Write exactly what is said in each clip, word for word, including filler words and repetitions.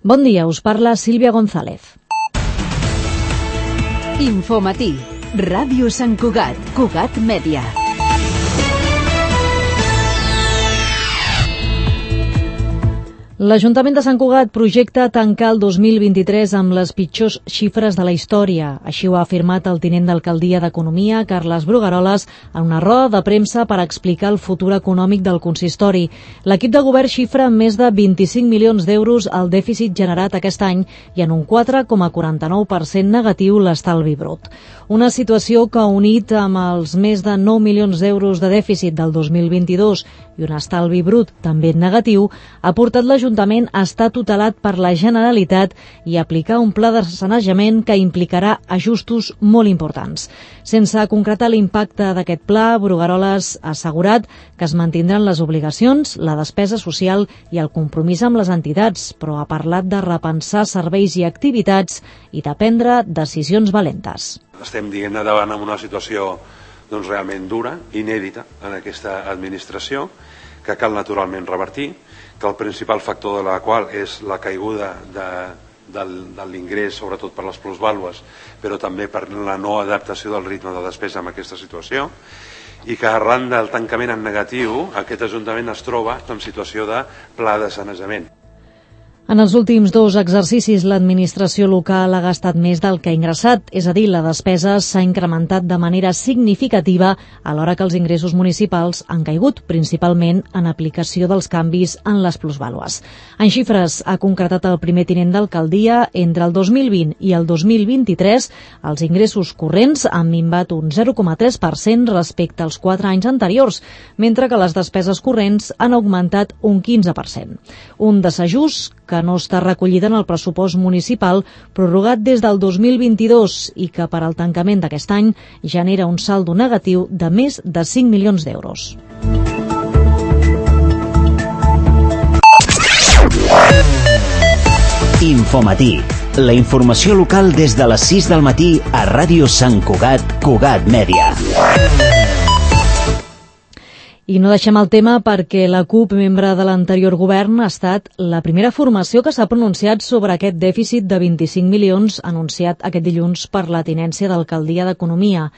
Bon dia, us parla Sílvia González. Infomatí, Ràdio Sant Cugat, Cugat Mèdia. L'Ajuntament de Sant Cugat projecta tancar el dos mil vint-i-tres amb les pitjors xifres de la història. Així ho ha afirmat el tinent d'alcaldia d'Economia, Carles Brugaroles, en una roda de premsa per explicar el futur econòmic del consistori. L'equip de govern xifra en més de vint-i-cinc milions d'euros el dèficit generat aquest any i en un quatre coma quaranta-nou per cent negatiu l'estalvi brut. Una situació que, unit amb els més de nou milions d'euros de dèficit del dos mil vint-i-dos i un estalvi brut també negatiu, ha portat l'Ajuntament a estar tutelat per la Generalitat i aplicar un pla de sanejament que implicarà ajustos molt importants. Sense concretar l'impacte d'aquest pla, Brugaroles ha assegurat que es mantindran les obligacions, la despesa social i el compromís amb les entitats, però ha parlat de repensar serveis i activitats i de prendre decisions valentes. Estem dient davant amb una situació doncs, realment dura, inèdita en aquesta administració, que cal naturalment revertir, que el principal factor de la qual és la caiguda de, de, de l'ingrés, sobretot per les plusvàlues, però també per la no adaptació del ritme de despesa en aquesta situació, i que arran del tancament en negatiu aquest Ajuntament es troba en situació de pla de sanejament. En els últims dos exercicis, l'administració local ha gastat més del que ha ingressat, és a dir, la despesa s'ha incrementat de manera significativa alhora que els ingressos municipals han caigut, principalment en aplicació dels canvis en les plusvàlues. En xifres, ha concretat el primer tinent d'alcaldia, entre el dos mil vint i el dos mil vint-i-tres, els ingressos corrents han minvat un zero coma tres per cent respecte als quatre anys anteriors, mentre que les despeses corrents han augmentat un quinze per cent. Un desajust que no està recollida en el pressupost municipal prorrogat des del dos mil vint-i-dos i que per al tancament d'aquest any genera un saldo negatiu de més de cinc milions d'euros. Infomatí, la informació local des de les sis del matí a Ràdio Sant Cugat, Cugat Mèdia. I no deixem el tema perquè la CUP, membre de l'anterior govern, ha estat la primera formació que s'ha pronunciat sobre aquest dèficit de vint-i-cinc milions anunciat aquest dilluns per la tinència d'alcaldia d'Economia.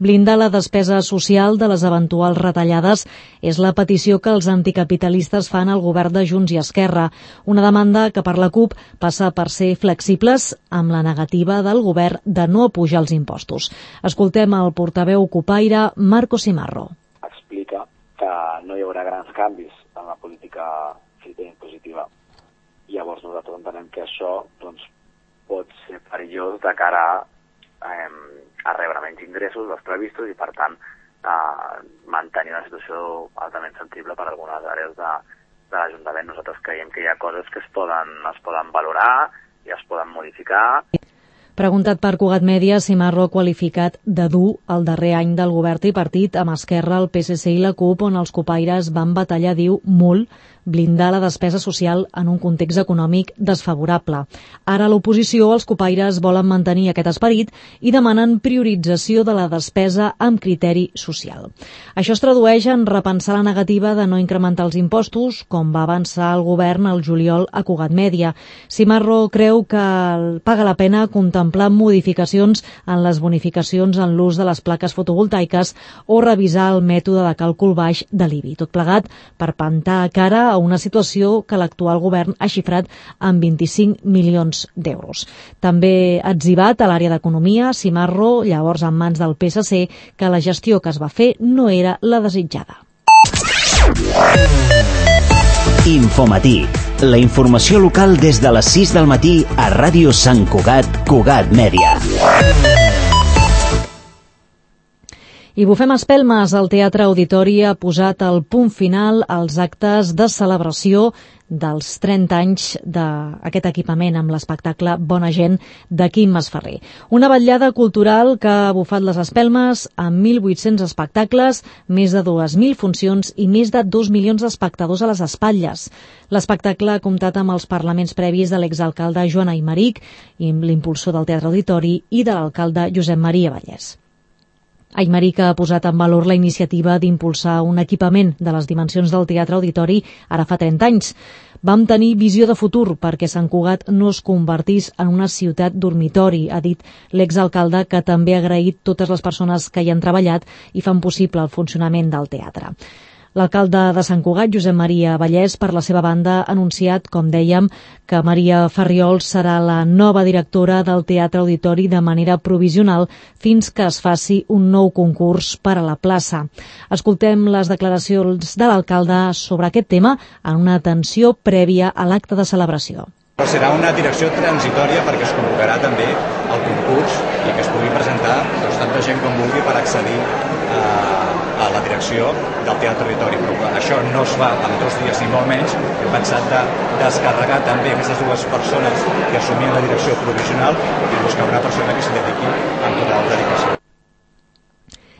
Blindar la despesa social de les eventuals retallades és la petició que els anticapitalistes fan al govern de Junts i Esquerra, una demanda que per la CUP passa per ser flexibles amb la negativa del govern de no apujar els impostos. Escoltem el portaveu cupaire Marco Simarro. Explica que no hi haurà grans canvis en la política impositiva. Llavors nosaltres entenem que això doncs, pot ser perillós de cara eh, a rebre menys ingressos dels previstos i per tant eh, mantenir una situació altament sensible per a algunes àrees de, de l'Ajuntament. Nosaltres creiem que hi ha coses que es poden, es poden valorar i es poden modificar. Preguntat per Cugat Mèdia, Simarro ha qualificat de dur el darrer any del govern tripartit amb Esquerra, el P S C i la CUP, on els cupaires van batallar, diu, molt, blindar la despesa social en un context econòmic desfavorable. Ara a l'oposició els cupaires volen mantenir aquest esperit i demanen priorització de la despesa amb criteri social. Això es tradueix en repensar la negativa de no incrementar els impostos, com va avançar el govern al juliol a Cugat Mèdia. Simarro creu que paga la pena contemplar modificacions en les bonificacions en l'ús de les plaques fotovoltaiques o revisar el mètode de càlcul baix de l'I B I. Tot plegat per plantar cara a una situació que l'actual govern ha xifrat en vint-i-cinc milions d'euros. També ha etzibat a l'àrea d'Economia, Simarro, llavors en mans del P S C, que la gestió que es va fer no era la desitjada. Infomatí, la informació local des de les sis del matí a Ràdio Sant Cugat, Cugat Mèdia. I bufem espelmes, el Teatre Auditori ha posat el punt final als actes de celebració dels trenta anys d'aquest equipament amb l'espectacle Bona Gent de Quim Masferrer. Una vetllada cultural que ha bufat les espelmes amb mil vuit-cents espectacles, més de dues mil funcions i més de dos milions d'espectadors a les espatlles. L'espectacle ha comptat amb els parlaments previs de l'exalcalde Joan Aymeric i l'impulsor del Teatre Auditori i de l'alcalde Josep Maria Vallès. Aymeric ha posat en valor la iniciativa d'impulsar un equipament de les dimensions del Teatre Auditori ara fa trenta anys. Vam tenir visió de futur perquè Sant Cugat no es convertís en una ciutat dormitori, ha dit l'exalcalde, que també ha agraït totes les persones que hi han treballat i fan possible el funcionament del teatre. L'alcalde de Sant Cugat, Josep Maria Vallès, per la seva banda, ha anunciat, com dèiem, que Maria Farriol serà la nova directora del Teatre Auditori de manera provisional fins que es faci un nou concurs per a la plaça. Escoltem les declaracions de l'alcalde sobre aquest tema en una atenció prèvia a l'acte de celebració. Serà una direcció transitòria perquè es convocarà també el concurs i que es pugui presentar doncs, tanta gent com vulgui per accedir a, a la direcció del Teatre Auditori. Però això no es fa en dos dies ni molt menys. Hem pensat de descarregar també aquestes dues persones que assumien la direcció provisional i buscar una persona que s'hi dediqui amb total dedicació.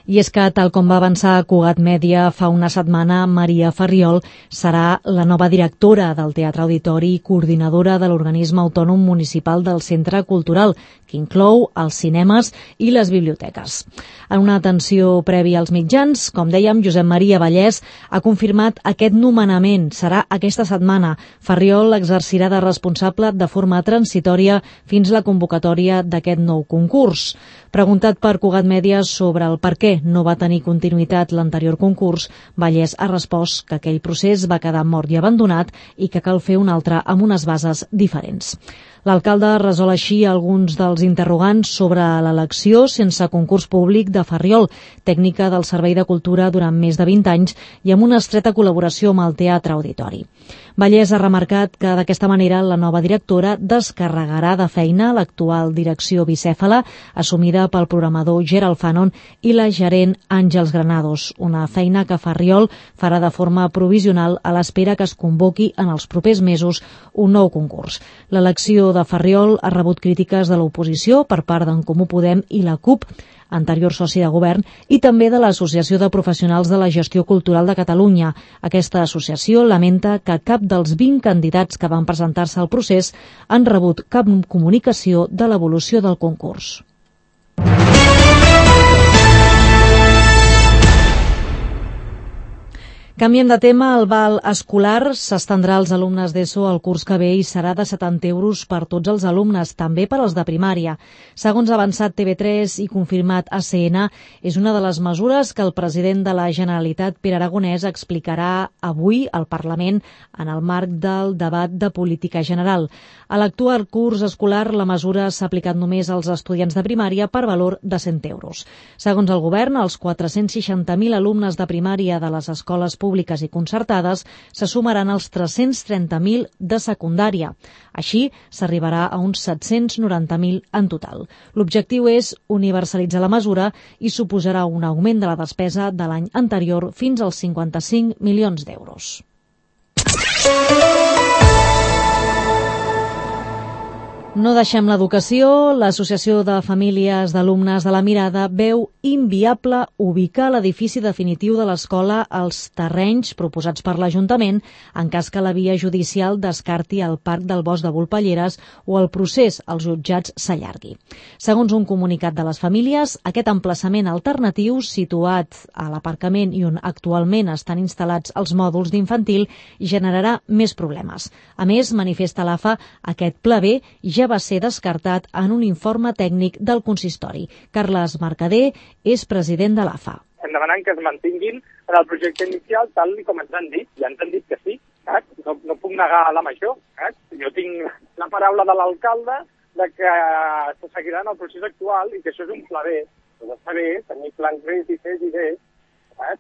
I és que, tal com va avançar Cugat Mèdia fa una setmana, Maria Farriol serà la nova directora del Teatre Auditori i coordinadora de l'organisme autònom municipal del Centre Cultural, que inclou els cinemes i les biblioteques. En una atenció prèvia als mitjans, com dèiem, Josep Maria Vallès ha confirmat aquest nomenament. Serà aquesta setmana. Farriol exercirà de responsable de forma transitòria fins la convocatòria d'aquest nou concurs. Preguntat per Cugat Mèdia sobre el per què no va tenir continuïtat l'anterior concurs, Vallès ha respost que aquell procés va quedar mort i abandonat i que cal fer un altre amb unes bases diferents. L'alcalde resol així alguns dels interrogants sobre l'elecció sense concurs públic de Farriol, tècnica del Servei de Cultura durant més de vint anys i amb una estreta col·laboració amb el Teatre Auditori. Vallès ha remarcat que d'aquesta manera la nova directora descarregarà de feina l'actual direcció bicèfala assumida pel programador Gerald Fanon i la gerent Àngels Granados, una feina que Farriol farà de forma provisional a l'espera que es convoqui en els propers mesos un nou concurs. L'elecció de Farriol ha rebut crítiques de l'oposició per part d'en Comú Podem i la CUP, anterior soci de govern, i també de l'Associació de Professionals de la Gestió Cultural de Catalunya. Aquesta associació lamenta que cap dels vint candidats que van presentar-se al procés han rebut cap comunicació de l'evolució del concurs. Canviem de tema, el val escolar s'estendrà als alumnes d'ESO el curs que ve i serà de setanta euros per tots els alumnes, també per als de primària. Segons ha avançat T V tres i confirmat A C N, és una de les mesures que el president de la Generalitat, Pere Aragonès, explicarà avui al Parlament en el marc del debat de política general. A l'actual curs escolar, la mesura s'ha aplicat només als estudiants de primària per valor de cent euros. Segons el govern, els quatre-cents seixanta mil alumnes de primària de les escoles públiques i concertades se sumaran als tres-cents trenta mil de secundària. Així, s'arribarà a uns set-cents noranta mil en total. L'objectiu és universalitzar la mesura i suposarà un augment de la despesa de l'any anterior fins als cinquanta-cinc milions d'euros. No deixem l'educació. L'Associació de Famílies d'Alumnes de la Mirada veu inviable ubicar l'edifici definitiu de l'escola als terrenys proposats per l'Ajuntament en cas que la via judicial descarti el Parc del Bosc de Volpelleres o el procés als jutjats s'allargui. Segons un comunicat de les famílies, aquest emplaçament alternatiu, situat a l'aparcament i on actualment estan instal·lats els mòduls d'infantil, generarà més problemes. A més, manifesta l'A F A, aquest pla B ja va ser descartat en un informe tècnic del consistori. Carles Mercader és president de l'A F A. Estem demanant que es mantinguin en el projecte inicial tal com ens han dit. Ja ens han dit que sí. Eh? No, no puc negar la major. Eh? Jo tinc la paraula de l'alcalde de que se seguirà en el procés actual i que això és un pla B. Doncs està bé, tenir plans B i C i D. Eh?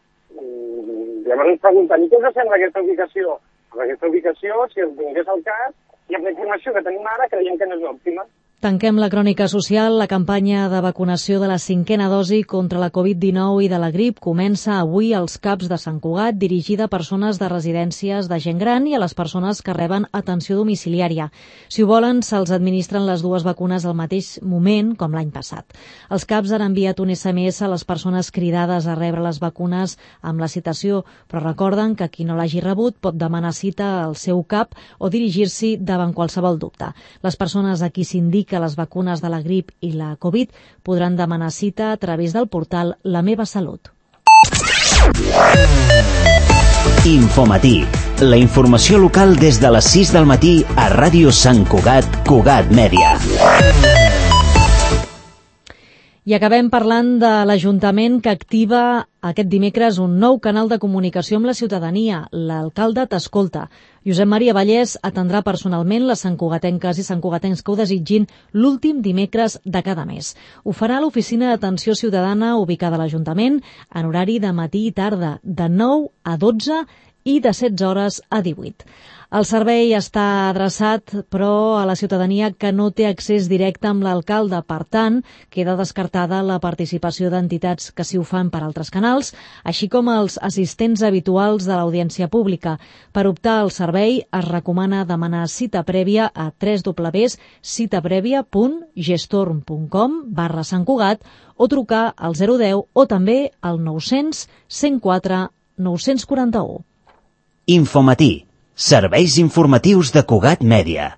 Llavors ens pregunten, i què us sembla aquesta ubicació? Amb aquesta ubicació, si es vingués al cas, i amb la informació que tenim ara, creiem que no és òptima. Tanquem la crònica social. La campanya de vacunació de la cinquena dosi contra la covid dinou i de la grip comença avui als CAPs de Sant Cugat, dirigida a persones de residències de gent gran i a les persones que reben atenció domiciliària. Si ho volen, se'ls administren les dues vacunes al mateix moment, com l'any passat. Els CAPs han enviat un S M S a les persones cridades a rebre les vacunes amb la citació, però recorden que qui no l'hagi rebut pot demanar cita al seu CAP o dirigir-s'hi davant qualsevol dubte. Les persones a qui s'indiqui dir que les vacunes de la grip i la Covid podran demanar cita a través del portal La Meva Salut. Infomatí, la informació local des de les sis del matí a Ràdio Sant Cugat, Cugat Mèdia. I acabem parlant de l'Ajuntament que activa aquest dimecres un nou canal de comunicació amb la ciutadania. L'alcalde t'escolta. Josep Maria Vallès atendrà personalment les santcugatenques i santcugatencs que ho desitgin l'últim dimecres de cada mes. Ho farà a l'oficina d'atenció ciutadana ubicada a l'Ajuntament en horari de matí i tarda, de nou a dotze i de setze hores a divuit. El servei està adreçat, però, a la ciutadania que no té accés directe amb l'alcalde. Per tant, queda descartada la participació d'entitats que s'hi ho fan per altres canals, així com els assistents habituals de l'audiència pública. Per optar al servei es recomana demanar cita prèvia a w w w punt citaprèvia punt gestorm punt com barra Sant Cugat o trucar al zero deu o també al nou cents cent quatre nou cents quaranta-u. Infomatí, serveis informatius de Cugat Mèdia.